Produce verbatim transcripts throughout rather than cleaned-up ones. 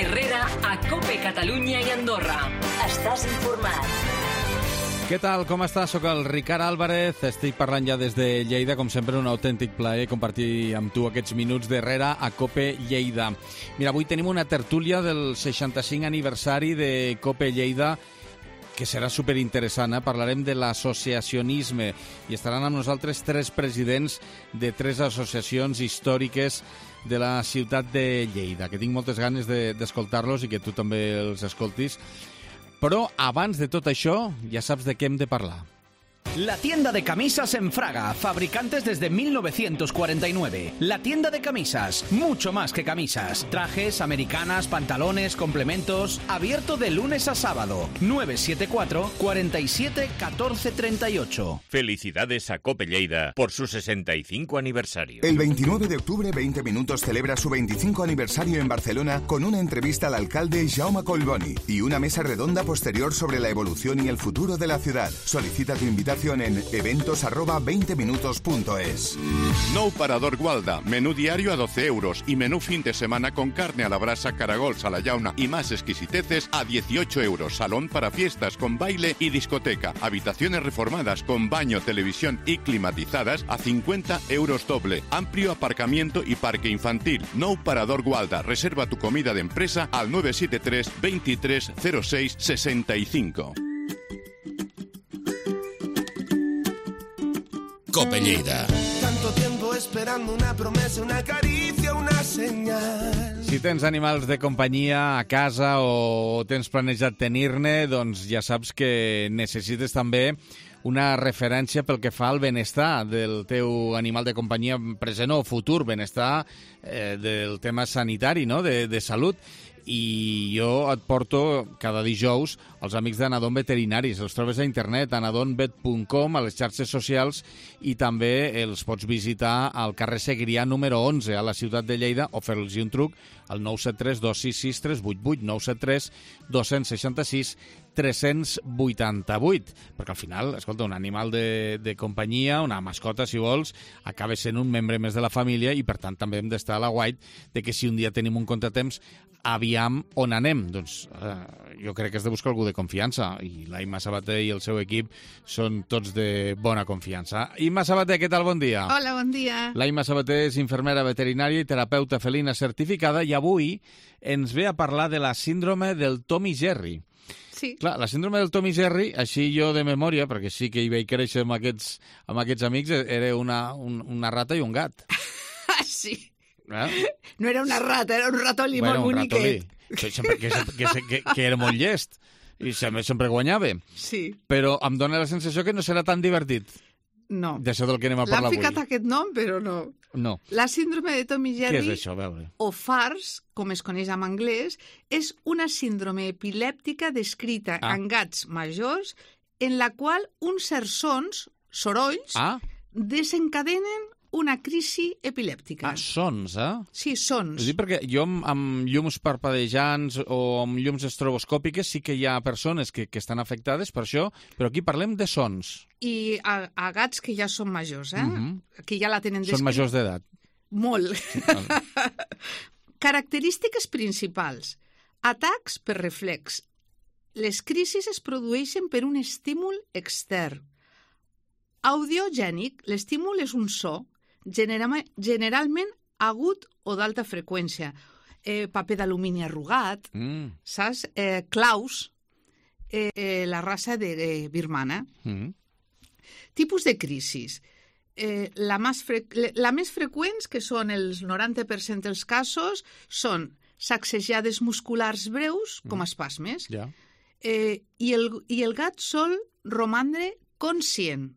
Herrera a COPE Catalunya i Andorra. Estàs informat. Què tal? Com estàs? Soc el Ricard Álvarez, estic parlant ja des de Lleida, com sempre un autèntic plaer compartir amb tu aquests minuts d'Herrera a COPE Lleida. Mira, avui tenim una tertúlia del seixanta-cinc aniversari de COPE Lleida, que serà superinteressant. Eh? Parlarem de l'associacionisme i estaran amb nosaltres tres presidents de tres associacions històriques de la ciutat de Lleida, que tinc moltes ganes de, d'escoltar-los i que tu també els escoltis. Però abans de tot això, ja saps de què hem de parlar. La tienda de camisas en Fraga, fabricantes desde mil novecientos cuarenta y nueve. La tienda de camisas, mucho más que camisas. Trajes, americanas, pantalones, complementos. Abierto de lunes a sábado. nueve siete cuatro, cuatro siete, uno cuatro tres ocho. Felicidades a COPE Lleida por su sesenta y cinco aniversario. El veintinueve de octubre, veinte Minutos celebra su veinticinco aniversario en Barcelona con una entrevista al alcalde Jaume Collboni y una mesa redonda posterior sobre la evolución y el futuro de la ciudad. Solicita tu invitación en eventos arroba veinte minutos punto es. Nou Parador Gualda, menú diario a doce euros y menú fin de semana con carne a la brasa, caragols a la llauna y más exquisiteces a dieciocho euros. Salón para fiestas con baile y discoteca. Habitaciones reformadas con baño, televisión y climatizadas a cincuenta euros doble. Amplio aparcamiento y parque infantil. Nou Parador Gualda. Reserva tu comida de empresa al nueve siete tres, veintitrés, cero seis, sesenta y cinco. COPE Lleida. Tanto tiempo esperando una promesa, una caricia, una señal. Si tens animals de companyia a casa o tens planejat tenir-ne, doncs ja saps que necessites també una referència pel que fa al benestar del teu animal de companyia present o futur, benestar eh, del tema sanitari, no? de, de salut. I jo et porto cada dijous els amics d'Anadon Veterinaris. Els trobes a internet, anadon vet punt com, a les xarxes socials, i també els pots visitar al carrer Segrià número onze, a la ciutat de Lleida, o fer-los un truc al nou set tres, dos sis sis, tres vuit vuit, nou set tres, dos sis sis, tres vuit vuit, perquè al final, escolta, un animal de, de companyia, una mascota, si vols, acaba sent un membre més de la família i, per tant, també hem d'estar a la guait de que si un dia tenim un contratemps, aviam on anem. Doncs eh, jo crec que has de buscar algú de confiança, i l'Imma Sabater i el seu equip són tots de bona confiança. Imma Sabater, què tal? Bon dia. Hola, bon dia. L'Imma Sabater és infermera veterinària i terapeuta felina certificada, i avui ens ve a parlar de la síndrome del Tom i Jerry. Sí. Clar, la síndrome del Tom i Jerry, així jo de memòria, perquè sí que hi vaig créixer amb aquests, amb aquests amics, era una, un, una rata i un gat. Ah, sí. Eh? No era una rata, era un ratolí bueno, molt boniquet. Que, sempre, que, que, que, que era molt llest i sempre, sempre guanyava. Sí. Però em dóna la sensació que no serà tan divertit. No. D'això del que anem a parlar avui. L'han ficat aquest nom, però no. No. La síndrome de Tom i Jerry, què és això? A veure. o FARS, com es coneix en anglès, és una síndrome epilèptica descrita Ah. en gats majors en la qual uns certs sons, sorolls, Ah, desencadenen una crisi epilèptica. ah sons, eh? Sí, sons. És a dir, perquè jo amb, amb llums parpadejants o amb llums estroboscòpiques sí que hi ha persones que, que estan afectades per això, però aquí parlem de sons. I a, a gats que ja són majors, eh? Mhm. Que ja la tenen Són descrit. majors d'edat. Molt. Sí, Característiques principals. Atacs per reflex. Les crisis es produeixen per un estímul extern. Audiogènic. L'estímul és un so, generama- generalment agut o d'alta freqüència. Eh, paper d'alumini arrugat, Mm. saps? Eh, claus, eh, eh, la raça de eh, birmana. Mm. Tipus de crisis. Eh, la, més fre... la més freqüents, que són els noranta per cent dels casos, són sacsejades musculars breus, com espasmes, Ja. eh, i, el, i el gat sol romandre conscient.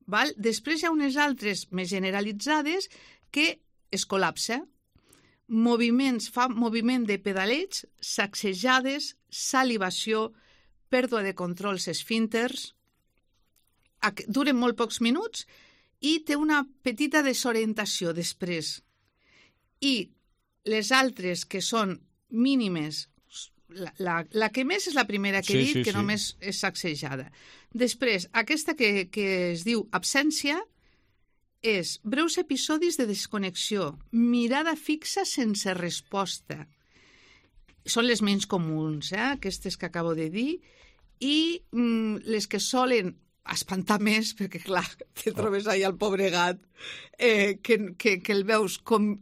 Val? Després hi ha unes altres més generalitzades que es col·lapsa. Moviments, fa moviment de pedaleig, sacsejades, salivació, pèrdua de controls esfínters, duren molt pocs minuts i té una petita desorientació després. I les altres, que són mínimes, la, la, la que més és la primera que he Sí, dit, sí, que sí. només és sacsejada. Després, aquesta que, que es diu absència és breus episodis de desconnexió, mirada fixa sense resposta. són les menys comuns, eh? Aquestes que acabo de dir, i mm, les que solen espantar més, perquè clar, te trobes allà el pobre gat, eh, que, que, que el veus com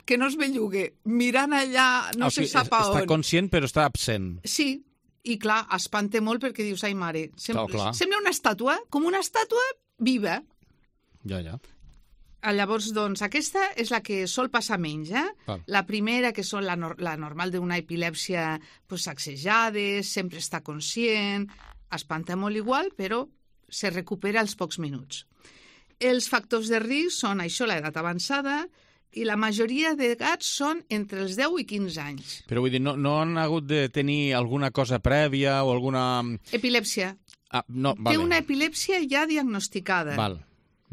que no es bellugue, mirant allà no o sigui, se sap a on. Està conscient però està absent. Sí, i clar, espanta molt perquè dius, ai mare, sembla, clar, clar. sembla una estàtua, com una estàtua viva. Ja, ja. Llavors, doncs, aquesta és la que sol passar menys, eh? Val. La primera, que són la, nor la normal d'una epilèpsia, pues, sacsejades, sempre està conscient, espanta molt igual, però se recupera als pocs minuts. Els factors de risc són això, l'edat avançada, i la majoria de gats són entre els deu i quinze anys. Però vull dir, no, no han hagut de tenir alguna cosa prèvia o alguna... Epilèpsia. Ah, no, vale. Té una epilèpsia ja diagnosticada. Val,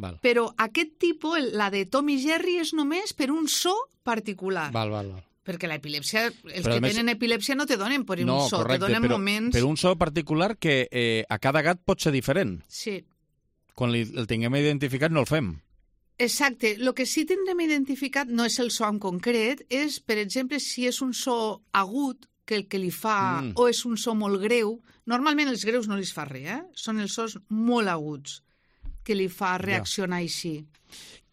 val. Però aquest tipus, la de Tom i Jerry, és només per un so particular. Val, val, val. Perquè l'epilèpsia, els Però que més... tenen epilèpsia no te donen per un no, so, correcte, te donen però, moments... Per un so particular que eh, a cada gat pot ser diferent. Sí. Quan li, el tinguem identificat no el fem. Exacte. El que sí tindrem identificat no és el so en concret, és, per exemple, si és un so agut que el que li fa, mm. o és un so molt greu. Normalment els greus no li fa res, eh? Són els sos molt aguts que li fa reaccionar ja. Així.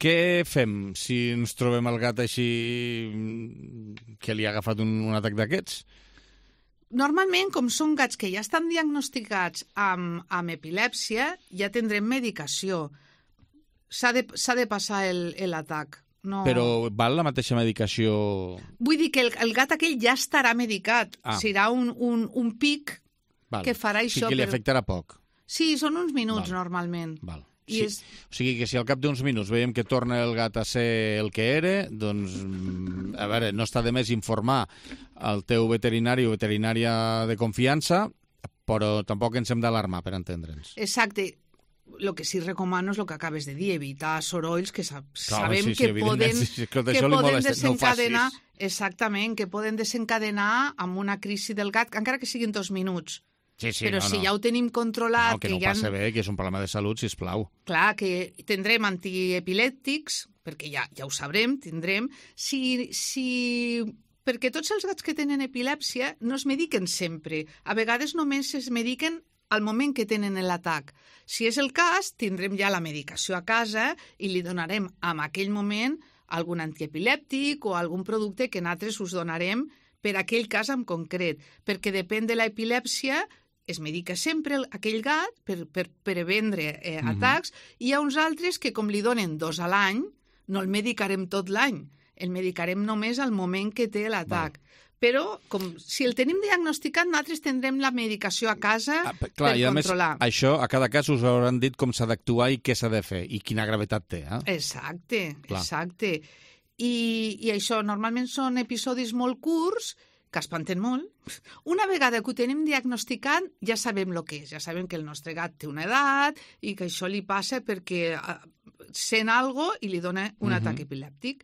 Què fem si ens trobem el gat així que li ha agafat un, un atac d'aquests? Normalment, com són gats que ja estan diagnosticats amb, amb epilèpsia, ja tindrem medicació. S'ha de, s'ha de passar l'atac. No... Però val la mateixa medicació? Vull dir que el, el gat aquell ja estarà medicat. Ah. Serà un, un, un pic val. Que farà això. Sí, que li afectarà poc. Sí, són uns minuts val. Normalment. Val. I sí. és... O sigui que si al cap d'uns minuts veiem que torna el gat a ser el que era, doncs, a veure, no està de més informar el teu veterinari o veterinària de confiança, però tampoc ens hem d'alarmar, per entendre'ns. Exacte. El que sí recomano és el que acabes de dir, evitar sorolls que sa Clar, sabem sí, sí, que poden, sí, que que poden desencadenar... No exactament, que poden desencadenar amb una crisi del gat, encara que siguin dos minuts. Sí, sí, però no, si no. ja ho tenim controlat... No, que, que no ja passa han... bé, que és un problema de salut, sisplau. Clar, que tindrem antiepilèptics, perquè ja, ja ho sabrem, tindrem... Si, si... Perquè tots els gats que tenen epilèpsia no es mediquen sempre. A vegades només es mediquen al moment que tenen l'atac. Si és el cas, tindrem ja la medicació a casa i li donarem en aquell moment algun antiepilèptic o algun producte que nosaltres us donarem per aquell cas en concret, perquè depèn de l'epilèpsia, es medica sempre aquell gat per, per prevendre eh, mm-hmm. atacs, i hi ha uns altres que, com li donen dos a l'any, no el medicarem tot l'any, el medicarem només al moment que té l'atac. Però, com si el tenim diagnosticat, nosaltres tindrem la medicació a casa ah, clar, per i a controlar. Més, això, a cada cas us hauran dit com s'ha d'actuar i què s'ha de fer, i quina gravetat té. Eh? Exacte, clar. exacte. I, I això, normalment són episodis molt curts, que espanten molt. Una vegada que ho tenim diagnosticat, ja sabem el que és. Ja sabem que el nostre gat té una edat i que això li passa perquè sent algo i li dona un uh-huh. atac epilèptic.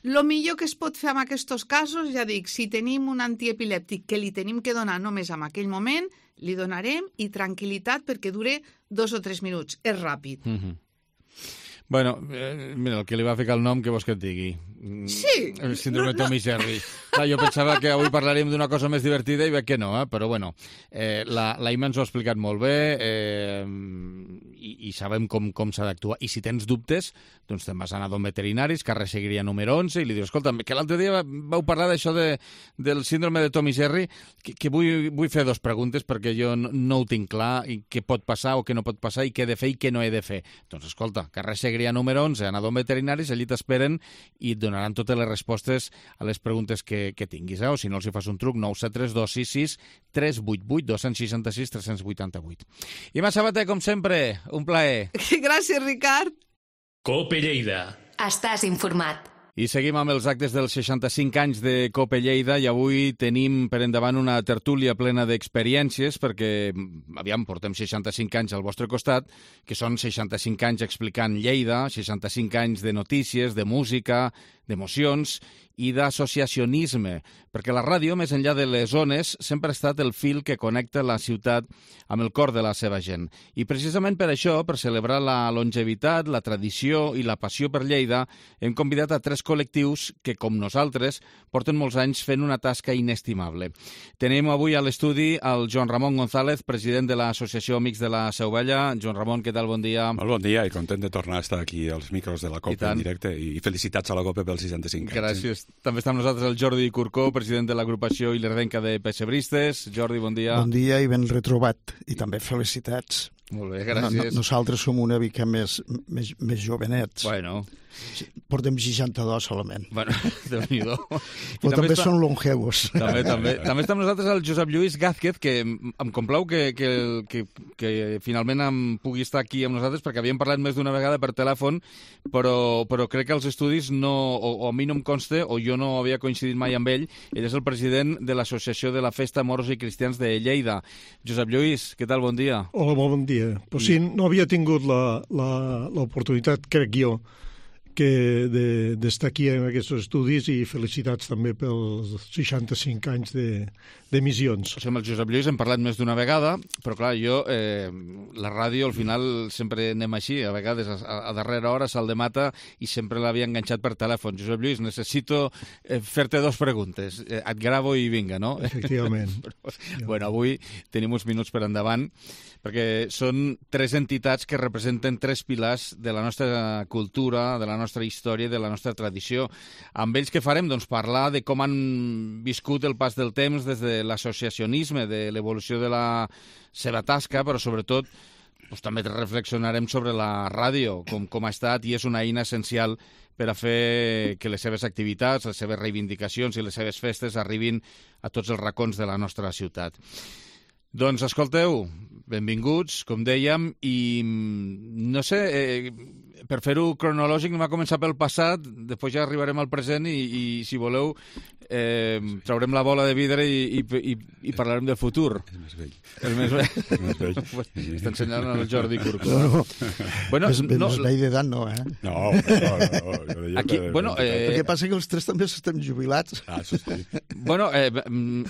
El millor que es pot fer en aquests casos, ja dic, si tenim un antiepilèptic que li tenim que donar només en aquell moment, li donarem i tranquil·litat perquè dure dos o tres minuts. És ràpid. Uh-huh. Bueno, eh, mira, el que li va ficar el nom, què vols que et digui? Sí. El síndrome no, Tom no. i Jerry. Clar, jo pensava que avui parlaríem d'una cosa més divertida i veig que no, eh? Però bueno, eh, la, la Ima ens ho ha explicat molt bé eh, i, i sabem com, com s'ha d'actuar. I si tens dubtes, doncs te'n vas anar a don veterinaris, carrer Seguiria número onze, i li dius, escolta, que l'altre dia vau parlar d'això de, del síndrome de Tom i Jerry, que, que vull, vull fer dos preguntes perquè jo no, no ho tinc clar, i què pot passar o què no pot passar, i què he de fer i què no he de fer. Doncs escolta, carrer Seguiria número onze, anar a don veterinaris, allí t'esperen i et donaran totes les respostes a les preguntes que, que tinguis, eh? O si no els hi fas un truc, nou set tres dos sis sis tres vuit vuit dos sis sis tres vuit vuit. Ima Sabater, com sempre, un plaer. Gràcies, Ricard. Cope Lleida. Estàs informat. I seguim amb els actes dels seixanta-cinc anys de Cope Lleida i avui tenim per endavant una tertúlia plena d'experiències perquè, aviam, portem seixanta-cinc anys al vostre costat, que són seixanta-cinc anys explicant Lleida, seixanta-cinc anys de notícies, de música, d'emocions i d'associacionisme, perquè la ràdio, més enllà de les ones, sempre ha estat el fil que connecta la ciutat amb el cor de la seva gent. I precisament per això, per celebrar la longevitat, la tradició i la passió per Lleida, hem convidat a tres col·lectius que, com nosaltres, porten molts anys fent una tasca inestimable. Tenim avui a l'estudi el Joan Ramon González, president de l'Associació Amics de la Seu Vella. Joan Ramon, què tal? Bon dia. Molt bon dia i content de tornar a estar aquí als micros de la COPE en directe i felicitats a la COPE pels seixanta-cinc anys. Gràcies. També està amb nosaltres el Jordi Curcó, president de l'agrupació Ilerdenca de Pessebristes. Jordi, bon dia. Bon dia i ben retrobat. I també felicitats. Molt bé, gràcies. No, no, nosaltres som una mica més, més, més jovenets. Bueno. Portem seixanta-dos solament. Bueno, Déu-n'hi-do. Però també, també està... són longevos. També, també. També està amb nosaltres el Josep Lluís Gázquez, que em complau que, que, que, que finalment em pugui estar aquí amb nosaltres, perquè havíem parlat més d'una vegada per telèfon, però, però crec que els estudis no, o, o a mi no em consta, o jo no havia coincidit mai amb ell. Ell és el president de l'Associació de la Festa Moros i Cristians de Lleida. Josep Lluís, què tal? Bon dia. Hola, molt bon dia. Però sí, no havia tingut l'oportunitat, crec jo, que d'estar de, aquí en aquests estudis, i felicitats també pels seixanta-cinc anys d'emissions. O sigui, amb el Josep Lluís hem parlat més d'una vegada, però clar, jo, eh, la ràdio al final sempre anem així, a vegades a, a darrera hora se'l demata i sempre l'havia enganxat per telèfon. Josep Lluís, necessito eh, fer-te dos preguntes. Eh, et gravo i vinga, no? Efectivament. Però, bueno, avui tenim uns minuts per endavant, perquè són tres entitats que representen tres pilars de la nostra cultura, de la nostra història i de la nostra tradició. Amb ells què farem? Doncs parlar de com han viscut el pas del temps des de l'associacionisme, de l'evolució de la seva tasca, però sobretot doncs, també reflexionarem sobre la ràdio, com, com ha estat i és una eina essencial per a fer que les seves activitats, les seves reivindicacions i les seves festes arribin a tots els racons de la nostra ciutat. Doncs escolteu, benvinguts, com dèiem, i no sé, eh, per fer-ho cronològic anem a començar pel passat, després ja arribarem al present i, i si voleu, eh, traurem la bola de vidre i, i, i, i parlarem del futur. És més vell. És més vell. És més vell. Està ensenyant el Jordi Curcó. No, no. Bueno, és no, més vell d'edat, no, eh? No, no, no. Jo deia Aquí, que... bueno, eh... El que passa que els tres també estem jubilats. Ah, això sí. Bueno, eh,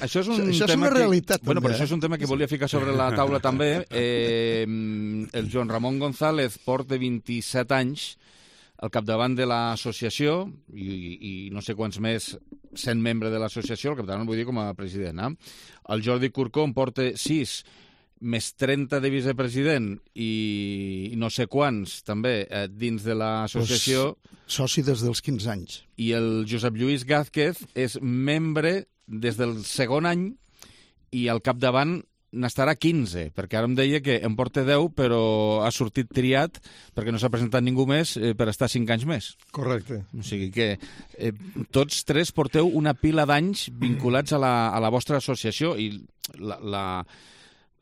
això és un això és tema una realitat, que... Bueno, també, però això és un tema que volia ficar sobre la taula també. Eh, el Joan Ramon González porta vint-i-set anys al capdavant de l'associació i, i, i no sé quants més sent membre de l'associació, al capdavant vull dir com a president. Eh? El Jordi Curcó en porta sis, més trenta de vicepresident i, i no sé quants també eh, dins de l'associació. Pues, soci des dels quinze anys. I el Josep Lluís Gázquez és membre des del segon any i al capdavant n'estarà quinze, perquè ara em deia que em porta deu, però ha sortit triat perquè no s'ha presentat ningú més eh, per estar cinc anys més. Correcte. O sigui que eh, tots tres porteu una pila d'anys vinculats a la, a la vostra associació i la, la...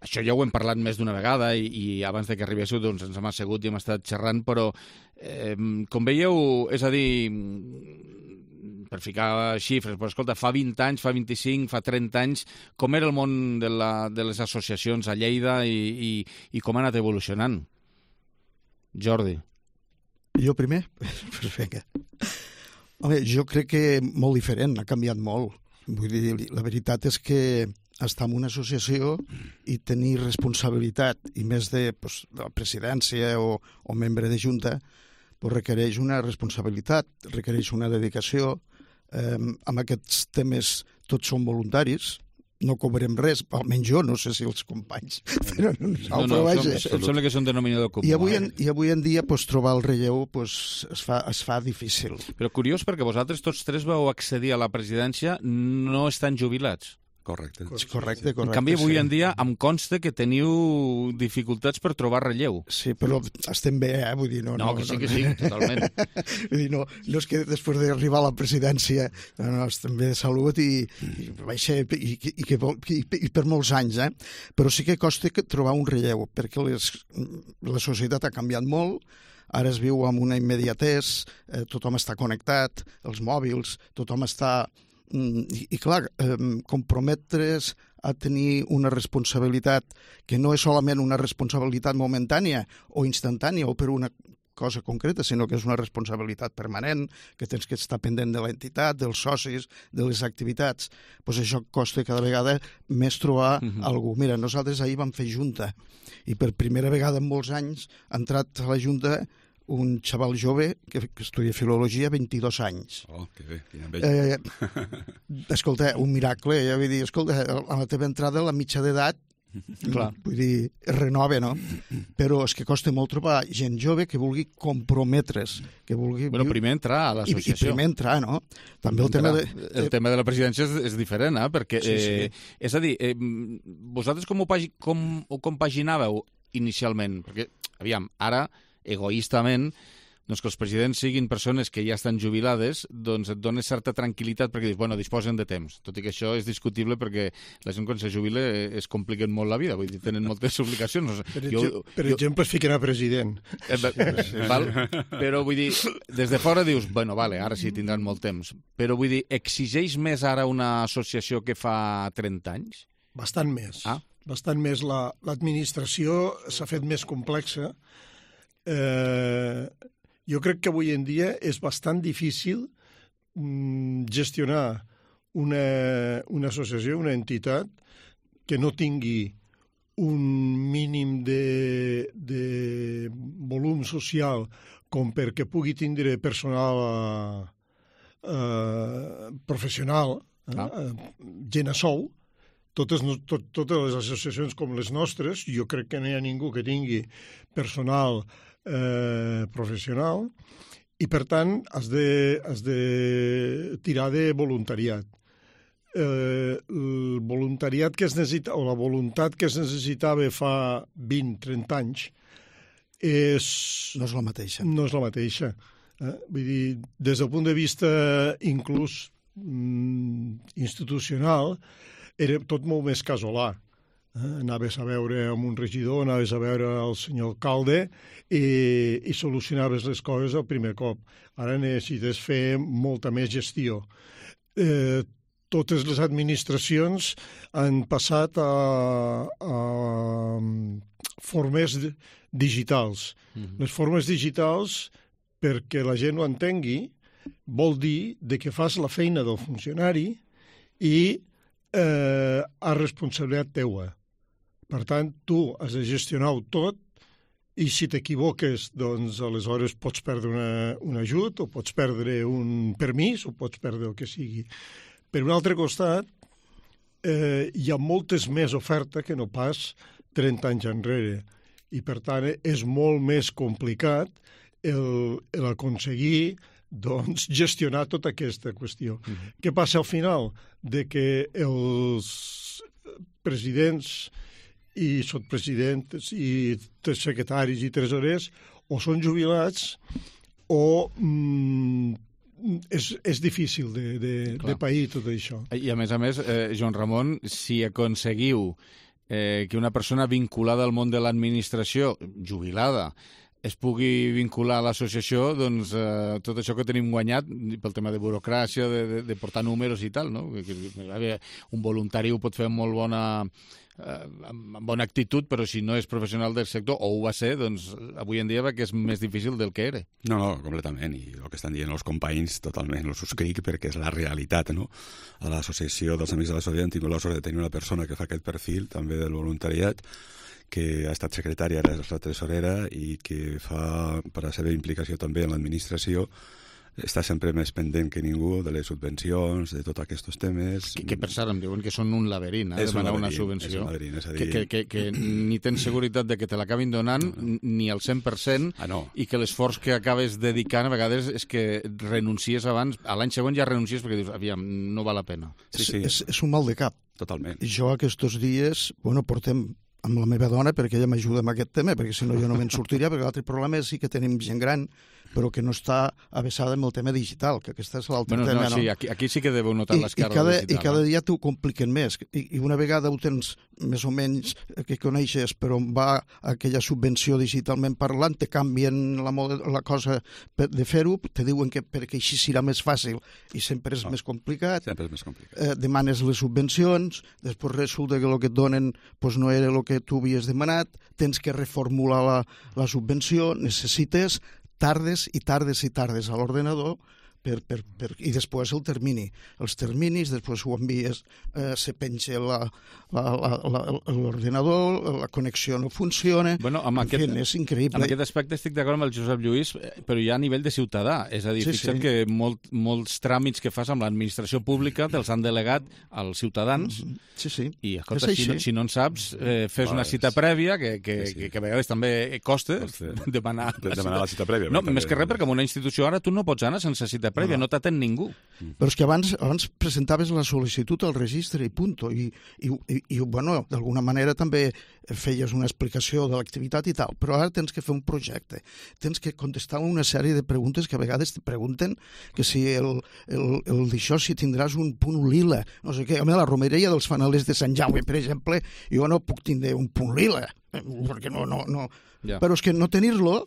això ja ho hem parlat més d'una vegada i, i abans de que arribéssiu doncs, ens hem assegut i hem estat xerrant, però eh, com veieu, és a dir, per ficar xifres, però escolta, fa vint anys, fa vint-i-cinc, fa trenta anys, com era el món de, la, de les associacions a Lleida i, i, i com ha anat evolucionant? Jordi. Jo primer? Pues vinga. Home, jo crec que molt diferent, ha canviat molt. Vull dir, la veritat és que estar en una associació i tenir responsabilitat, i més de, pues, de la presidència o, o membre de junta, pues requereix una responsabilitat, requereix una dedicació. Eh, amb aquests temes tots són voluntaris, no cobrem res, almenys jo, no sé si els companys, però nosaltres, no, no, vaja. Em sembla que és un denominador comú. I avui en, i avui en dia pues, trobar el relleu pues, es, fa, es fa difícil. Però curiós perquè vosaltres tots tres vau accedir a la presidència no estan jubilats. Correcte. Correcte, correcte. En canvi, avui en dia em consta que teniu dificultats per trobar relleu. Sí, però estem bé, eh? Vull dir, no... No, no que sí, no, que sí, totalment. Vull dir, no, no és que després d'arribar a la presidència no, no, estem bé de salut i, i, ser, i, i, i, i, i per molts anys, eh? Però sí que costa trobar un relleu, perquè les, la societat ha canviat molt, ara es viu amb una immediatès, eh, tothom està connectat, els mòbils, tothom està... I, i clar, eh, comprometre's a tenir una responsabilitat que no és solament una responsabilitat momentània o instantània o per una cosa concreta, sinó que és una responsabilitat permanent, que tens que estar pendent de l'entitat, dels socis, de les activitats. Pues això costa cada vegada més trobar uh-huh. algú. Mira, nosaltres ahir vam fer junta i per primera vegada en molts anys ha entrat a la junta un xaval jove que, que estudia filologia, vint-i-dos anys. Oh, que bé, quina enveja. Eh, escolta, un miracle, ja vull dir, escolta, a la teva entrada la mitja d'edat, clar, vull dir, es renova, no? Però és que costa molt trobar gent jove que vulgui comprometre's, que vulgui... Bueno, primer entrar a l'associació. I, I primer entrar, no? També el tema de... El tema de la presidència és, és diferent, eh? Perquè, sí, sí. Eh, és a dir, eh, vosaltres com ho, pagi, com ho compaginàveu inicialment? Perquè, aviam, ara... egoístament, doncs que els presidents siguin persones que ja estan jubilades, doncs et dona certa tranquil·litat perquè dius, bueno, disposen de temps. Tot i que això és discutible perquè la gent quan se jubila es compliquen molt la vida, vull dir, tenen moltes obligacions. Per, jo, jo, per jo... exemple, es ficarà president. Eh, val? Però vull dir, des de fora dius, bueno, vale, ara sí tindran molt temps. Però vull dir, exigeix més ara una associació que fa trenta anys? Bastant més. Ah? Bastant més. La, l'administració s'ha fet més complexa. Eh, jo crec que avui en dia és bastant difícil mm, gestionar una, una associació, una entitat que no tingui un mínim de, de volum social com perquè pugui tindre personal eh, professional, eh, ah. gent a sou. Totes, tot, totes les associacions com les nostres, jo crec que no hi ha ningú que tingui personal eh, professional i, per tant, has de, has de tirar de voluntariat. Eh, el voluntariat que es necessita, o la voluntat que es necessitava fa vint a trenta anys és... No és la mateixa. No és la mateixa. Eh? Vull dir, des del punt de vista inclús mm, institucional, era tot molt més casolà. Eh? Anaves a veure amb un regidor, anaves a veure el senyor alcalde i, i solucionaves les coses al primer cop. Ara necessites fer molta més gestió. Eh, totes les administracions han passat a, a formes digitals. Mm-hmm. Les formes digitals, perquè la gent ho entengui, vol dir de que fas la feina del funcionari i eh, a responsabilitat teua. Per tant, tu has de gestionar-ho tot i si t'equivoques, doncs aleshores pots perdre una, un ajut o pots perdre un permís o pots perdre el que sigui. Per un altre costat, eh, hi ha moltes més oferta que no pas trenta anys enrere i, per tant, és molt més complicat el, el aconseguir doncs, gestionar tota aquesta qüestió. Mm-hmm. Què passa al final? De que els presidents i sotpresidents i secretaris i tresorers o són jubilats o mm, és, és difícil de, de, de pair tot això. I a més a més, eh, Joan Ramon, si aconseguiu eh, que una persona vinculada al món de l'administració, jubilada, es pugui vincular a l'associació, doncs eh, tot això que tenim guanyat pel tema de burocràcia, de, de, de portar números i tal, no? Un voluntari ho pot fer amb molt bona, eh, amb bona actitud, però si no és professional del sector, o ho va ser, doncs avui en dia va que és més difícil del que era. No, no, completament, i el que estan dient els companys totalment ho subscric perquè és la realitat, no? A l'associació dels Amics de la Solidaritat hem tingut la sort de tenir una persona que fa aquest perfil també del voluntariat, que ha estat secretària, ara és la tresorera i que fa, per la seva implicació també en l'administració, està sempre més pendent que ningú de les subvencions, de tots aquests temes. Que, que per cert, em diuen que són un laberint, eh, demanar un una subvenció. És un laberint, és a dir... Que, que, que, que ni tens seguretat de que te l'acabin donant, no. ni al cent per cent, ah, no. i que l'esforç que acabes dedicant a vegades és que renuncies abans, a l'any següent ja renuncies perquè dius, aviam, no val la pena. Sí, sí. És, és un mal de cap. Totalment. Jo aquests dies, bueno, portem amb la meva dona perquè ella m'ajuda amb aquest tema, perquè si no jo no me'n sortiria, perquè l'altre problema és sí que tenim gent gran, però que no està avesada amb el tema digital, que aquesta és l'altre bueno, tema. No, sí, aquí, aquí sí que deveu notar l'esquerda digital. I cada dia t'ho compliquen més, I, i una vegada ho tens més o menys que coneixes, però va aquella subvenció digitalment parlant, te canvien la, la cosa de fer-ho, te diuen que perquè així serà més fàcil, i sempre és no, més complicat. Sempre és més complicat. Eh, demanes les subvencions, després resulta que el que et donen pues, no era el que tu havies demanat, tens que reformular la, la subvenció, necessites tardes i tardes i tardes a l'ordenador per, per, per, i després el termini. Els terminis, després ho envies, eh, se penja la, la, la, la, l'ordenador, la connexió no funciona, bueno, amb en aquest, fi, és increïble. En aquest aspecte estic d'acord amb el Josep Lluís, però ja a nivell de ciutadà, és a dir, sí, fixa't sí. que molt, molts tràmits que fas amb l'administració pública te'ls han delegat als ciutadans, sí, sí. i escolta, si no, si no en saps, eh, fes una cita prèvia, que, que, sí, sí. que, que a vegades també costa demanar, de, demanar la cita prèvia. No, més que res, perquè en una institució ara tu no pots anar sense cita prèvia, no, no t'atén ningú. Però és que abans, abans presentaves la sol·licitud al registre i punto, i, i, i, i bueno, d'alguna manera també feies una explicació de l'activitat i tal, però ara tens que fer un projecte, tens que contestar una sèrie de preguntes que a vegades te pregunten que si el, el, el d'això, si tindràs un punt lila, no sé què. A mi, la romeria dels fanalers de Sant Jaume, per exemple, jo no puc tindre un punt lila, perquè no, no, no. Ja. Però és que no tenir-lo,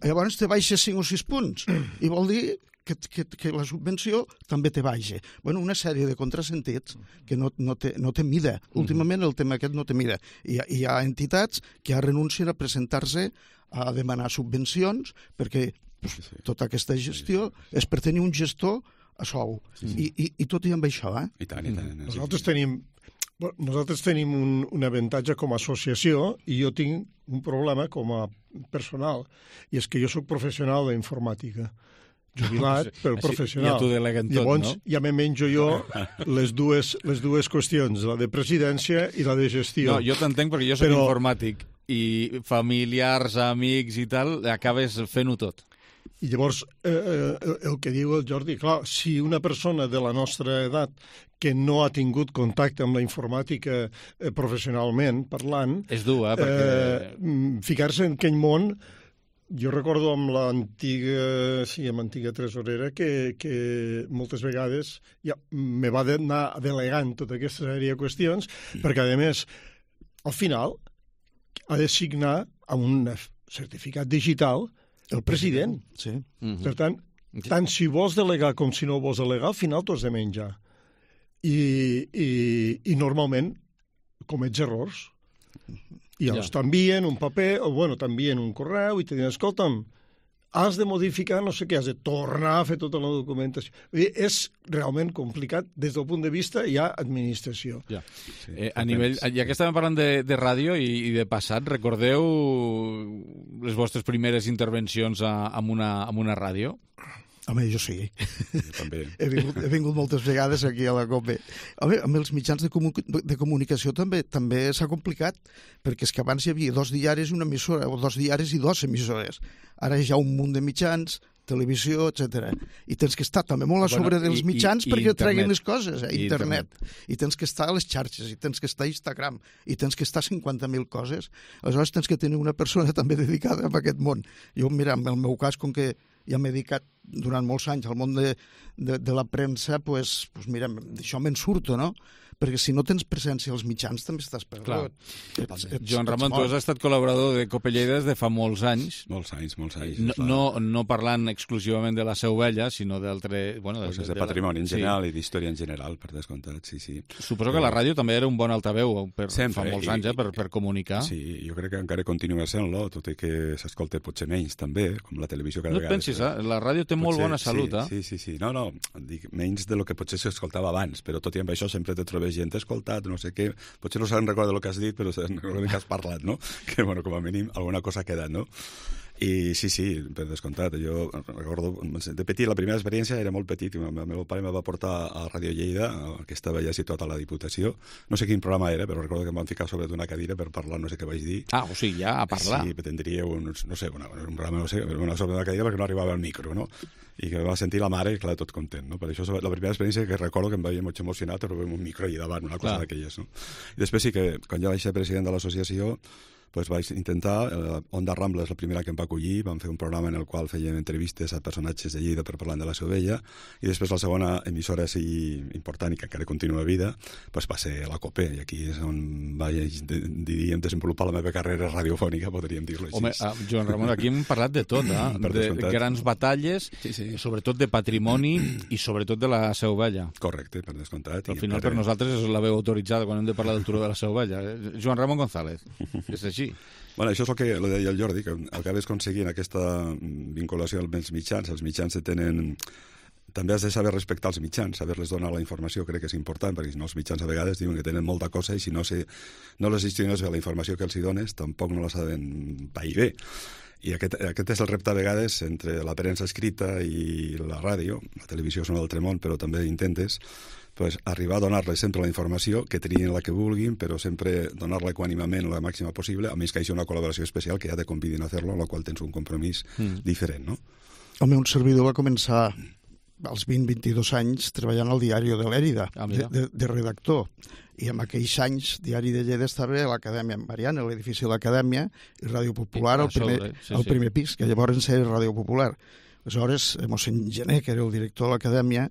llavors te baixes cinc o sis punts, i vol dir que, que, que la subvenció també te baixa. Bueno, una sèrie de contrasentits que no, no, té, no té mida. Últimament el tema aquest no té mida. Hi ha, hi ha entitats que ja renuncien a presentar-se a demanar subvencions perquè pues, tota aquesta gestió és per tenir un gestor a sou. Sí. I, i, I tot i amb això, eh? I tant, i tant. Nosaltres tenim, bueno, nosaltres tenim un, un avantatge com a associació i jo tinc un problema com a personal, i és que jo sóc professional d'informàtica. Jubilat, però professional. Ja t'ho deleguen tot, Llavors, no? ja me menjo jo les dues, les dues qüestions, la de presidència i la de gestió. No, jo t'entenc perquè jo soc però... informàtic i familiars, amics i tal, acabes fent-ho tot. I llavors, eh, el que diu el Jordi, clar, si una persona de la nostra edat que no ha tingut contacte amb la informàtica eh, professionalment, parlant... És dur, eh? Perquè... Eh, ficar-se en aquell món... Jo recordo amb l'antiga, sí, amb l'antiga tresorera que, que moltes vegades ja me va anar delegant tota aquesta sèrie de qüestions, perquè, a més, al final ha de signar amb un certificat digital el president. Sí. Per tant, tant si vols delegar com si no vols delegar, al final t'ho has de menjar. I, i, i normalment comets errors. I els ja. t'envien un paper, o bueno, t'envien un correu i te diuen, escolta'm, has de modificar no sé què, has de tornar a fer tota la documentació. Vull dir, és realment complicat des del punt de vista ja administració. Ja, sí, eh, a nivell, ja que estàvem parlant de, de ràdio i, i de passat, recordeu les vostres primeres intervencions a, amb, una, amb una ràdio? Home, jo sí. Jo també. he, vingut, he vingut moltes vegades aquí a la COPE. Home, amb els mitjans de, comu de comunicació també també s'ha complicat, perquè és que abans hi havia dos diaris i una emissora, o dos diaris i dos emissores. Ara hi ha un munt de mitjans, televisió, etcètera. I tens que estar també molt a sobre bueno, dels mitjans i, i, perquè i treguin les coses, eh? I internet. internet. I tens que estar a les xarxes, i tens que estar a Instagram, i tens que estar a cinquanta mil coses. Aleshores tens que tenir una persona també dedicada a aquest món. Jo, mira, en el meu cas, com que ja m'he dedicat durant molts anys al món de, de, de la premsa, pues, pues mira, d'això me'n surto, no? Perquè si no tens presència als mitjans també estàs perdut. Ets, ets, Joan Ramon, tu has estat col·laborador de Cope Lleida des de fa molts anys. Molts anys, molts anys. No, no, no parlant exclusivament de la Seu Vella, sinó d'altre... Bueno, de, de, de patrimoni la... en general sí. I d'història en general, per descomptat, sí, sí. Suposo que la ràdio també era un bon altaveu per, Sempre, fa molts i, anys, eh, per, per comunicar. Sí, jo crec que encara continua sent-lo, tot i que s'escolta potser menys també, com la televisió cada no vegada. No et pensis, eh? La ràdio té potser, molt bona salut, sí, eh? Sí, sí, sí. No, no, dic, menys de lo que potser s'escoltava abans, però tot i amb això sempre te trobes gent escoltat, no sé què, potser no se'n recorda el que has dit, però se'n recorda que has parlat, no? Que, bueno, com a mínim, alguna cosa ha quedat, no? I sí, sí, per descomptat. Jo recordo, de petit, la primera experiència era molt petit. El meu pare em va portar a Ràdio Lleida, que estava ja situat a la Diputació. No sé quin programa era, però recordo que em van ficar sobre d'una cadira per parlar, no sé què vaig dir. Ah, o sigui, ja a parlar. Sí, tindria un, no sé, una, un programa, no sé, una sobre d'una cadira perquè no arribava al micro, no? I que va sentir la mare, clar, tot content, no? Per això és la primera experiència que recordo que em vaig molt emocionat, però amb un micro allà davant, una cosa d'aquelles, no? I després sí que, quan jo vaig ser president de l'associació, pues vaig intentar, eh, Onda Rambla és la primera que em va acollir, vam fer un programa en el qual fèiem entrevistes a personatges de Lleida per parlar de la Seu Vella, i després la segona emissora sí, important i que encara continua a vida, pues va ser la COPE, i aquí és on vaig, diríem, desenvolupar la meva carrera radiofònica, podríem dir-ho així. Home, uh, Joan Ramon, aquí hem parlat de tot, eh? de grans batalles, sí, sí. sobretot de patrimoni i sobretot de la Seu Vella. Correcte, per descomptat. Al final per nosaltres és la veu autoritzada quan hem de parlar del turó de la Seu Vella. Joan Ramon González, és així? així. Bueno, això és el que lo deia el Jordi, que acabes aconseguint aquesta vinculació amb els mitjans. Els mitjans tenen... També has de saber respectar els mitjans, saber-les donar la informació, crec que és important, perquè si no els mitjans a vegades diuen que tenen molta cosa i si no, si, no les gestiones bé la informació que els hi dones, tampoc no la saben pair bé. I aquest, aquest és el repte a vegades entre la premsa escrita i la ràdio. La televisió és un altre món, però també intentes pues, arribar a donar-les sempre la informació, que trien la que vulguin, però sempre donar-la equànimament la màxima possible, a més que hi hagi una col·laboració especial que ja te convidin a fer-lo, en la qual tens un compromís mm. diferent, no? El meu servidor va començar als vint a vint-i-dos anys treballant al diari de l'Èrida, ah, de, de, de redactor. I en aquells anys, Diari de Lleida estava a l'Acadèmia Mariana, a l'edifici de l'Acadèmia, i Ràdio Popular al primer, sí, sí. primer pis, que llavors era Ràdio Popular. Aleshores, mossèn Gené, que era el director de l'Acadèmia,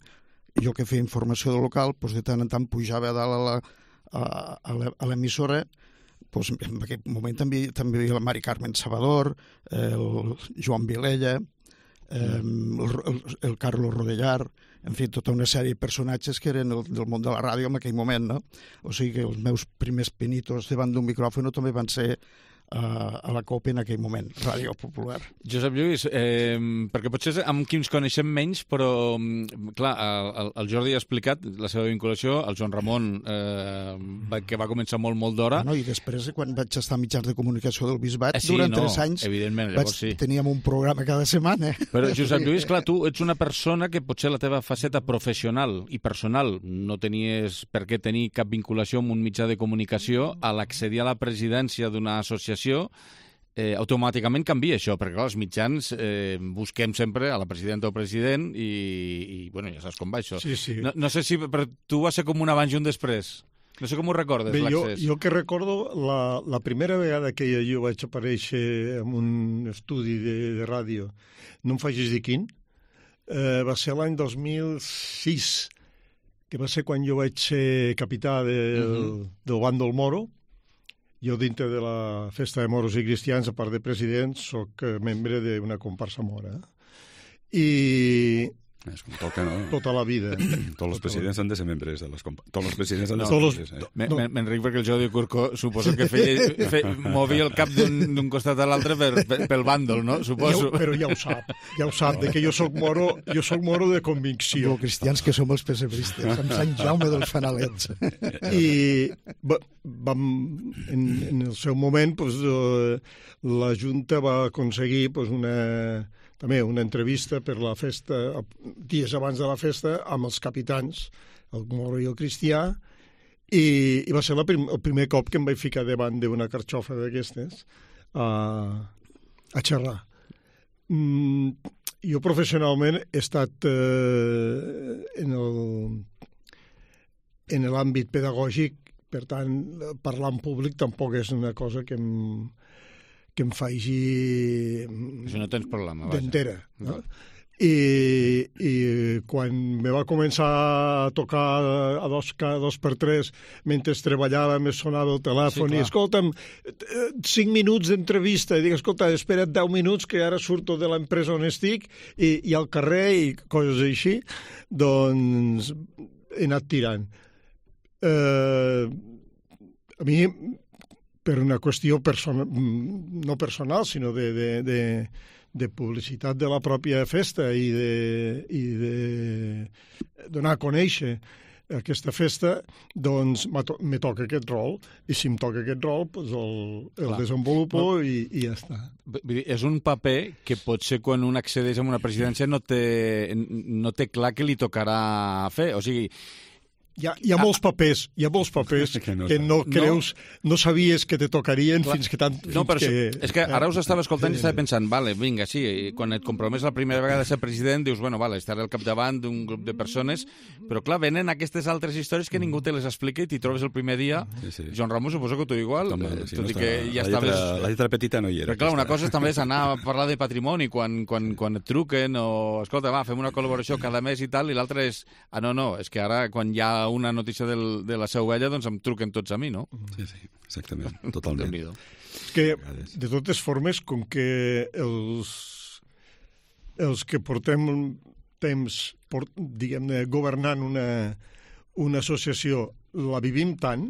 jo que feia informació del local, doncs de tant en tant pujava a dalt a, la, a l'emissora. Doncs en aquest moment també, també hi havia la Mari Carmen Salvador, el Joan Vilella, el, el, el Carlos Rodellar, en fi, tota una sèrie de personatges que eren el, del món de la ràdio en aquell moment, no? O sigui que els meus primers pinitos davant d'un micròfon també van ser uh, a la COPE en aquell moment, Ràdio Popular. Josep Lluís, eh, perquè potser amb qui ens coneixem menys, però, clar, el, el Jordi ha explicat la seva vinculació, el Joan Ramon, eh, que va començar molt, molt d'hora. Bueno, i després, quan vaig estar a mitjans de comunicació del Bisbat, eh, sí, durant no, tres anys, evidentment, llavors, vaig, sí. teníem un programa cada setmana. Però, Josep Lluís, clar, tu ets una persona que potser la teva faceta professional i personal no tenies per què tenir cap vinculació amb un mitjà de comunicació, a l'accedir a la presidència d'una associació, eh, automàticament canvia això, perquè clar, els mitjans eh, busquem sempre a la presidenta o president i, i bueno, ja saps com va això. Sí, sí. No, no sé si per tu va ser com un abans i un després. No sé com ho recordes, l'accés. Jo, jo que recordo, la, la primera vegada que jo vaig aparèixer en un estudi de, de ràdio, no em facis dir quin, eh, va ser l'any dos mil sis, que va ser quan jo vaig ser capità de, uh-huh. del bàndol Moro. Jo, dintre de la Festa de Moros i Cristians, a part de president, soc membre d'una comparsa mora. I... És com toca, no? Tota la vida. Tots els presidents han de ser membres de les comparses. Tots els presidents han de no, ser membres. Eh? No. M'enric perquè el Jordi Curco suposo que feia, fe, movia el cap d'un costat a l'altre per, per, pel bàndol, no? Suposo. Ja, però ja ho sap, ja ho sap, de que jo soc moro, jo soc moro de convicció. Els cristians que som els pessebristes, amb Sant Jaume dels Fanalets. I vam, en, en el seu moment, pues, la Junta va aconseguir pues, una... també una entrevista per la festa, dies abans de la festa, amb els capitans, el Moro i el Cristià, i, i va ser la prim, el primer cop que em vaig ficar davant d'una carxofa d'aquestes a, a xerrar. Mm, jo professionalment he estat eh, en el en l'àmbit pedagògic, per tant, parlar en públic tampoc és una cosa que em que em faci... Això no tens problema, vaja. D'entera. No? I, I quan me va començar a tocar a dos, a dos per tres, mentre treballava, me sonava el telèfon, sí, i escolta'm, cinc minuts d'entrevista, i dic, escolta, espera't deu minuts, que ara surto de l'empresa on estic, i, i al carrer, i coses així, doncs he anat tirant. Eh, a mi... per una qüestió personal, no personal, sinó de, de, de, de publicitat de la pròpia festa i de, i de donar a conèixer aquesta festa, doncs me toca aquest rol, i si em toca aquest rol, doncs el, el desenvolupo no. i, i ja està. És un paper que potser quan un accedeix a una presidència no té, no té clar que li tocarà fer, o sigui... Hi ha, hi ha molts papers, hi ha molts papers que no, que no creus, no, no sabies que te tocarien clar. fins que tant... Fins no, però que, és que ara us estava escoltant i estava pensant, vale, vinga, sí, quan et compromes la primera vegada a ser president, dius, bueno, vale, estaré al capdavant d'un grup de persones, però clar, venen aquestes altres històries que ningú te les explica i t'hi trobes el primer dia. Sí, sí. Joan Ramon, suposo que tu igual, Toma, eh, tot no i que ja la estaves... Lletra, la lletra petita no hi era. Però clar, una cosa és també és anar a parlar de patrimoni quan, quan, quan et truquen o, escolta, va, fem una col·laboració cada mes i tal, i l'altra és, ah, no, no, és que ara quan hi ha una notícia del de la seu vella, doncs em truquen tots a mi, no? Sí, sí, exactament, totalment. Que, de totes formes, com que els, els que portem temps, port, diguem-ne, governant una, una associació, la vivim tant,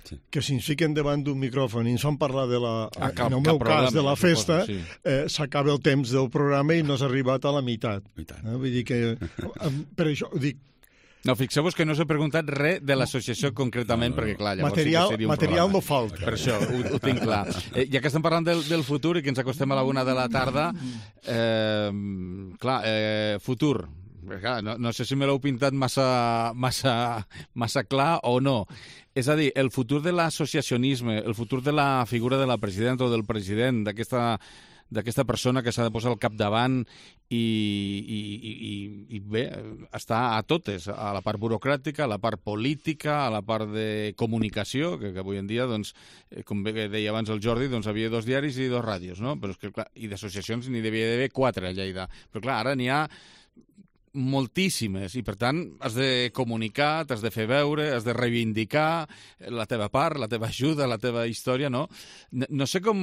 sí. que si ens fiquen davant d'un micròfon i ens fan parlar de la, ah, cap, en el meu problema, cas, de la festa, suposo, sí. eh, s'acaba el temps del programa i no s'ha arribat a la meitat. meitat. Eh? Vull dir que, per això, dic, no, fixeu-vos que no us he preguntat res de l'associació concretament, no, no, no. perquè, clar, llavors material, sí que seria un material problema. no falta. Per això, ho, ho tinc clar. Eh, ja que estem parlant del, del futur i que ens acostem a la una de la tarda, eh, clar, eh, futur, clar, no, no sé si me l'heu pintat massa, massa, massa clar o no. És a dir, el futur de l'associacionisme, el futur de la figura de la presidenta o del president, d'aquesta d'aquesta persona que s'ha de posar al capdavant i, i, i, i bé, està a totes, a la part burocràtica, a la part política, a la part de comunicació, que, que avui en dia, doncs, com bé deia abans el Jordi, doncs havia dos diaris i dos ràdios, no? Però és que, clar, i d'associacions n'hi devia d'haver quatre a Lleida. Però clar, ara n'hi ha moltíssimes, i per tant has de comunicar, t'has de fer veure, has de reivindicar la teva part, la teva ajuda, la teva història, no? No, no sé com...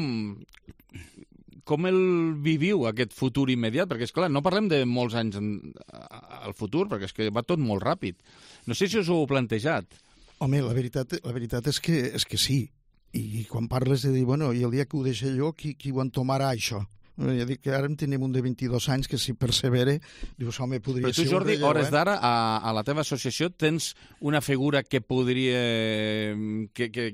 com el viviu, aquest futur immediat? Perquè, és clar, no parlem de molts anys en, al futur, perquè és que va tot molt ràpid. No sé si us ho heu plantejat. Home, la veritat, la veritat és, que, és que sí. I quan parles de dir, bueno, i el dia que ho deixé jo, qui, qui ho entomarà, això? Ja dic que ara en tenim un de vint-i-dos anys que si persevere, dius, home, podria ser... Però tu, ser Jordi, relleu, hores eh? d'ara, a, a la teva associació, tens una figura que podria... que... que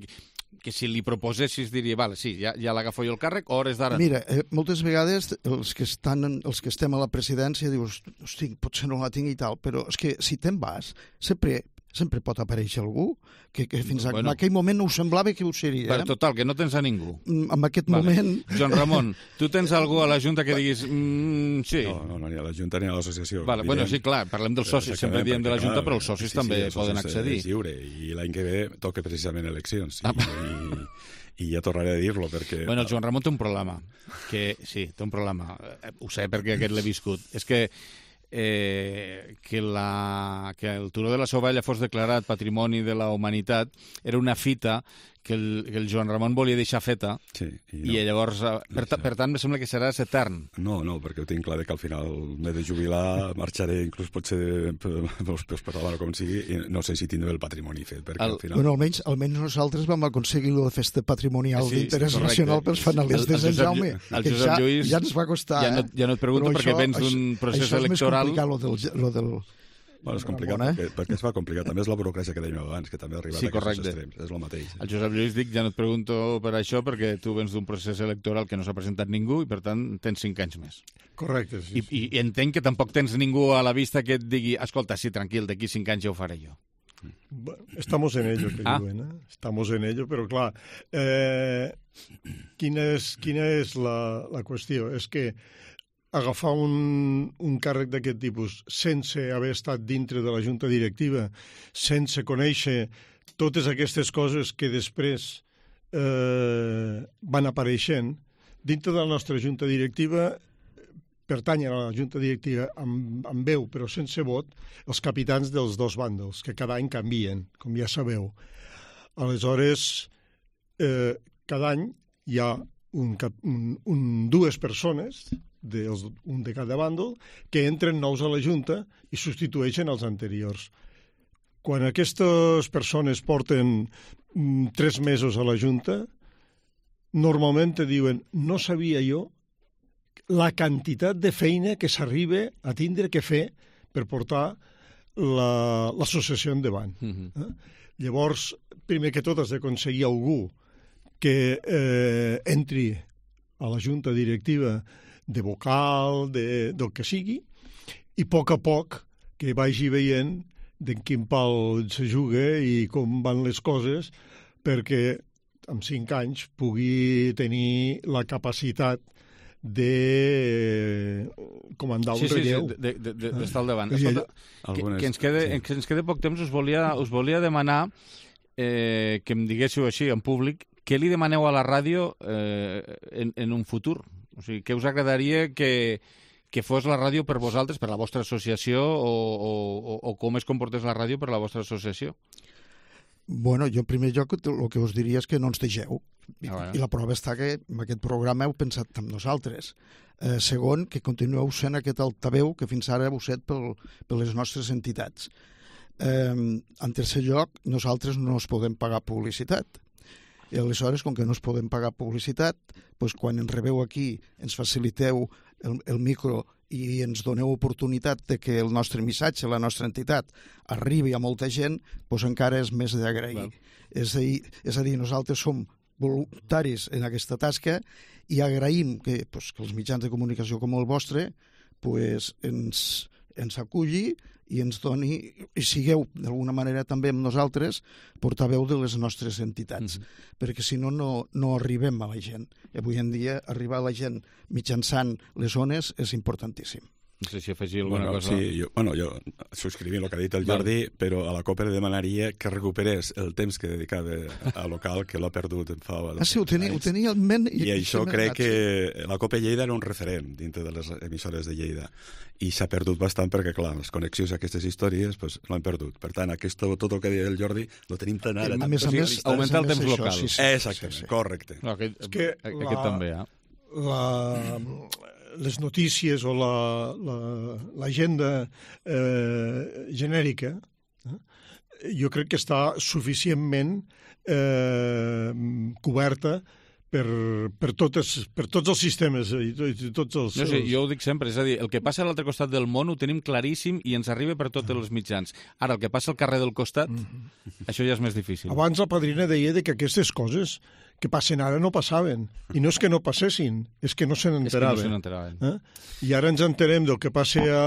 que si li proposessis diria, vale, sí, ja, ja l'agafo jo el càrrec, o hores d'ara? Mira, eh, moltes vegades els que, estan, els que estem a la presidència dius, hosti, potser no la tinc i tal, però és que si te'n vas, sempre, sempre pot aparèixer algú que, que fins bueno, en aquell moment no ho semblava que ho seria. Però total, que no tens a ningú. En aquest vale. moment... Joan Ramon, tu tens algú a la Junta que diguis... Mm, sí. No, no, no, ni a la Junta ni a l'associació. Vale, bueno, sí, clar, parlem dels socis, sempre diem de la Junta, però els socis sí, també sí, els poden socis accedir. És lliure, i l'any que ve toca precisament eleccions. I, ah. i, i ja tornaré a dir-lo, perquè... Bueno, el Joan Ramon té un problema, que sí, té un problema, ho sé perquè aquest l'he viscut, és que eh, que, la, que el Turó de la Sovella fos declarat Patrimoni de la Humanitat era una fita que el, que el Joan Ramon volia deixar feta, sí, i, no. i llavors, per, ta, per tant, me sembla que seràs etern. No, no, perquè ho tinc clar que al final m'he de jubilar, marxaré inclús potser pels per la mare com sigui, i no sé si tindré el patrimoni fet, perquè el, al final... Bueno, almenys, almenys nosaltres vam aconseguir la festa patrimonial sí, d'interès nacional pels fanalistes d'en Jaume, el que ja, Lluís, ja ens va costar. Ja no, ja no et pregunto però perquè això, vens d'un procés això electoral... Això és més complicat, lo del... Lo del Bueno, és complicat bona, eh? perquè, perquè es fa complicat. També és la burocràcia que dèiem abans, que també ha arribat sí, a aquests extrems. És el mateix. El Josep Lluís dic, ja no et pregunto per això, perquè tu vens d'un procés electoral que no s'ha presentat ningú i, per tant, tens cinc anys més. Correcte, sí. I, i entenc que tampoc tens ningú a la vista que et digui, escolta, sí, tranquil, d'aquí cinc anys ja ho faré jo. Bueno, estamos en ello, que ah. diuen, eh? Estamos en ello, però clar, eh, quina és, quina és la, la qüestió? És que agafar un, un càrrec d'aquest tipus sense haver estat dintre de la junta directiva, sense conèixer totes aquestes coses que després eh, van apareixent, dintre de la nostra junta directiva pertanyen a la junta directiva amb, amb veu però sense vot els capitans dels dos bàndols, que cada any canvien, com ja sabeu. Aleshores, eh, cada any hi ha un, un, un, dues persones, de, un de cada bàndol, que entren nous a la Junta i substitueixen els anteriors. Quan aquestes persones porten mm, tres mesos a la Junta, normalment te diuen, no sabia jo la quantitat de feina que s'arriba a tindre que fer per portar l'associació la, endavant. Mm-hmm. eh? Llavors, primer que tot has d'aconseguir algú que eh, entri a la junta directiva de vocal, de, del que sigui, i a poc a poc que vagi veient d'en quin pal se juga i com van les coses, perquè amb cinc anys pugui tenir la capacitat de comandar un sí, sí, relleu. Sí, d'estar de, de, de, al davant. Escolta, que, que, ens quede, sí. que ens quede poc temps, us volia, us volia demanar eh, que em diguéssiu així en públic què li demaneu a la ràdio eh, en, en un futur? O sigui, què us agradaria que, que fos la ràdio per vosaltres, per la vostra associació, o, o, o com es comportés la ràdio per la vostra associació? Bueno, jo en primer lloc el que us diria és que no ens deixeu. I, ah, bueno. I la prova està que en aquest programa heu pensat amb nosaltres. Eh, segon, que continueu sent aquest altaveu que fins ara heu set pel, per les nostres entitats. Eh, en tercer lloc, nosaltres no es podem pagar publicitat. I aleshores, com que no es podem pagar publicitat, doncs quan ens rebeu aquí, ens faciliteu el, el micro i ens doneu oportunitat de que el nostre missatge, la nostra entitat, arribi a molta gent, doncs encara és més d'agrair. És a dir, és a dir, nosaltres som voluntaris en aquesta tasca i agraïm que, doncs, que els mitjans de comunicació com el vostre doncs, ens, ens aculli i ens doni, i sigueu d'alguna manera també amb nosaltres portaveu de les nostres entitats, mm-hmm. perquè si no, no no arribem a la gent. Avui en dia arribar a la gent mitjançant les ones és importantíssim. No sé si afegir alguna bueno, cosa. Sí, jo, bueno, jo subscrivint el que ha dit el Jordi, vale. Però a la Copa li demanaria que recuperés el temps que dedicava a local, que l'ha perdut en fa... Ah, sí, ho tenia, ho tenia en ment. I, I això crec que la Copa Lleida era un referent dintre de les emissores de Lleida. I s'ha perdut bastant perquè, clar, les connexions a aquestes històries pues, l'han perdut. Per tant, aquest, tot el que deia el Jordi lo tenim tan ara. A més a més, augmentar el temps local. Sí, sí. Exactament, sí, sí. Correcte. No, aquest, és que aquest la, també, eh? La, les notícies o l'agenda la, eh, genèrica eh, jo crec que està suficientment eh, coberta per, per, totes, per tots els sistemes i tots els... No sé, jo ho dic sempre, és a dir, el que passa a l'altre costat del món ho tenim claríssim i ens arriba per tots els mitjans. Ara, el que passa al carrer del costat, mm-hmm. això ja és més difícil. Abans la padrina deia que aquestes coses que passen ara no passaven. I no és que no passessin, és que no se n'enteraven. És que no se n'enteraven. Eh? I ara ens enterem del que passa a,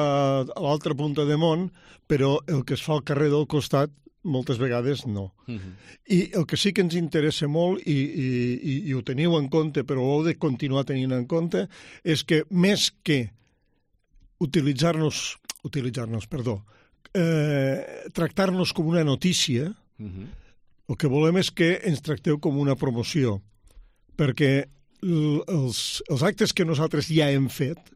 a l'altra punta de món, però el que es fa al carrer del costat moltes vegades no. Uh-huh. I el que sí que ens interessa molt, i, i, i, i ho teniu en compte, però ho heu de continuar tenint en compte, és que més que utilitzar-nos, utilitzar-nos, perdó, eh, tractar-nos com una notícia, uh-huh. el que volem és que ens tracteu com una promoció, perquè els, els actes que nosaltres ja hem fet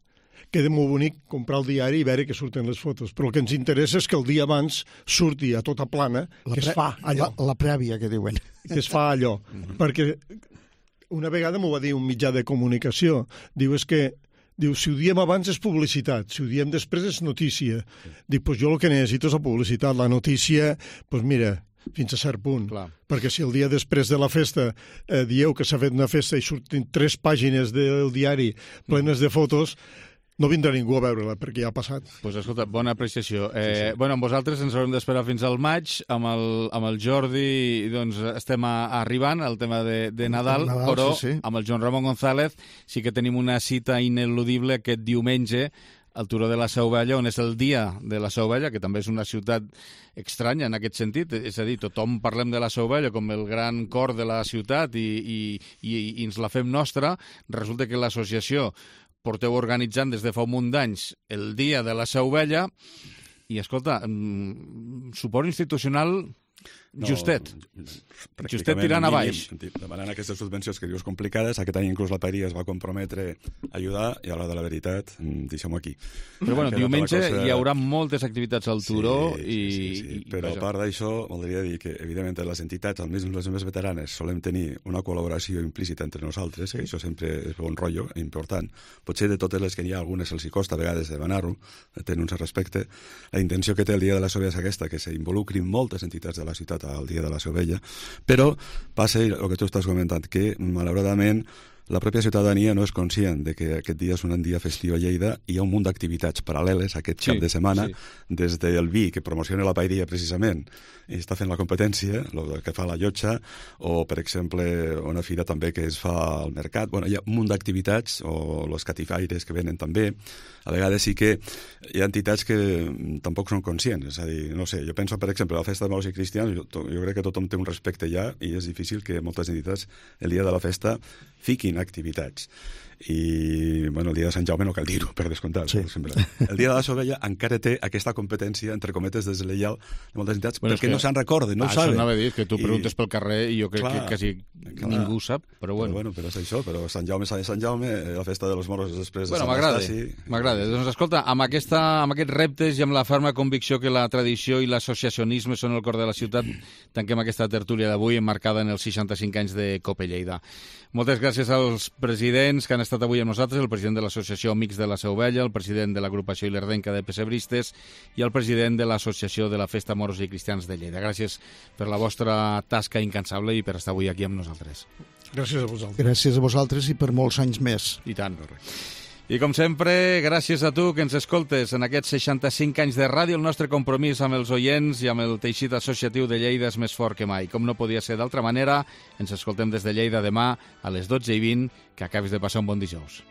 queda molt bonic comprar el diari i veure que surten les fotos, però el que ens interessa és que el dia abans surti a tota plana la que es fa allò. La, la prèvia, que diuen. Que es fa allò, mm-hmm. perquè una vegada m'ho va dir un mitjà de comunicació, diu, és que diu, si ho diem abans és publicitat, si ho diem després és notícia. Dic, doncs jo el que necessito és la publicitat, la notícia, doncs mira, fins a cert punt. Clar. Perquè si el dia després de la festa eh, dieu que s'ha fet una festa i surten tres pàgines del diari plenes de fotos, no vindrà ningú a veure-la, perquè ja ha passat. Doncs pues, escolta, bona apreciació. Eh, sí, sí. Bueno, amb vosaltres ens haurem d'esperar fins al maig. Amb el, amb el Jordi doncs, estem a, arribant al tema de, de Nadal, Nadal, però sí, sí. amb el Joan Ramon González sí que tenim una cita ineludible aquest diumenge al Turó de la Seu Vella, on és el dia de la Seu Vella, que també és una ciutat estranya en aquest sentit. És a dir, tothom parlem de la Seu Vella com el gran cor de la ciutat i, i, i, i ens la fem nostra. Resulta que l'associació porteu organitzant des de fa un munt d'anys el dia de la Seu Vella i, escolta, suport institucional no, justet. Justet tirant a baix. Demanant aquestes subvencions que dius complicades, aquest any inclús la Paeria es va comprometre a ajudar i a l'hora de la veritat, deixem-ho aquí. Però bueno, diumenge cosa... hi haurà moltes activitats al Turó sí, i... Sí, sí, sí. Però a part d'això, voldria dir que, evidentment, les entitats, almenys les més veteranes, solem tenir una col·laboració implícita entre nosaltres, sí. que això sempre és bon rotllo, important. Potser de totes les que hi ha, algunes els hi costa a vegades demanar-ho, tenir un cert respecte. La intenció que té el dia de la Seu Vella és aquesta, que s'involucrin moltes entitats de la ciutat al dia de la Seu Vella, però passa el que tu estàs comentant, que malauradament la pròpia ciutadania no és conscient de que aquest dia és un dia festiu a Lleida i hi ha un munt d'activitats paral·leles aquest sí, cap de setmana, sí. des del vi, que promociona la paeria precisament, i està fent la competència, el que fa la llotja, o, per exemple, una fira també que es fa al mercat. Bueno, hi ha un munt d'activitats, o els catifaires que venen també. A vegades sí que hi ha entitats que tampoc són conscients. És a dir, no sé, jo penso, per exemple, a la festa de Maus i Cristians, jo, jo crec que tothom té un respecte ja i és difícil que moltes entitats el dia de la festa fiquin activitats. I, bueno, el dia de Sant Jaume no cal dir-ho, per descomptat. Sí. El dia de la Seu Vella encara té aquesta competència, entre cometes, desleal de moltes entitats, bueno, perquè que... no se'n recorden, no ho saben. Això anava a dir, que tu preguntes I... pel carrer i jo crec clar, que quasi clar, ningú sap, però bueno. Però, bueno, però és això, però Sant Jaume, Sant Jaume, la festa de los moros després de bueno, Sant Estasi... M'agrada, doncs escolta, amb, aquesta, amb aquests reptes i amb la ferma convicció que la tradició i l'associacionisme són el cor de la ciutat, tanquem aquesta tertúlia d'avui emmarcada en els seixanta-cinc anys de Copa Lleida. Moltes gràcies als presidents que han estat estat avui amb nosaltres el president de l'Associació Amics de la Seu Vella, el president de l'agrupació Ilerdenca de Pessebristes i el president de l'Associació de la Festa Moros i Cristians de Lleida. Gràcies per la vostra tasca incansable i per estar avui aquí amb nosaltres. Gràcies a vosaltres. Gràcies a vosaltres i per molts anys més. I tant. I com sempre, gràcies a tu que ens escoltes en aquests seixanta-cinc anys de ràdio. El nostre compromís amb els oients i amb el teixit associatiu de Lleida és més fort que mai. Com no podia ser d'altra manera, ens escoltem des de Lleida demà a les dotze i vint. Que acabis de passar un bon dijous.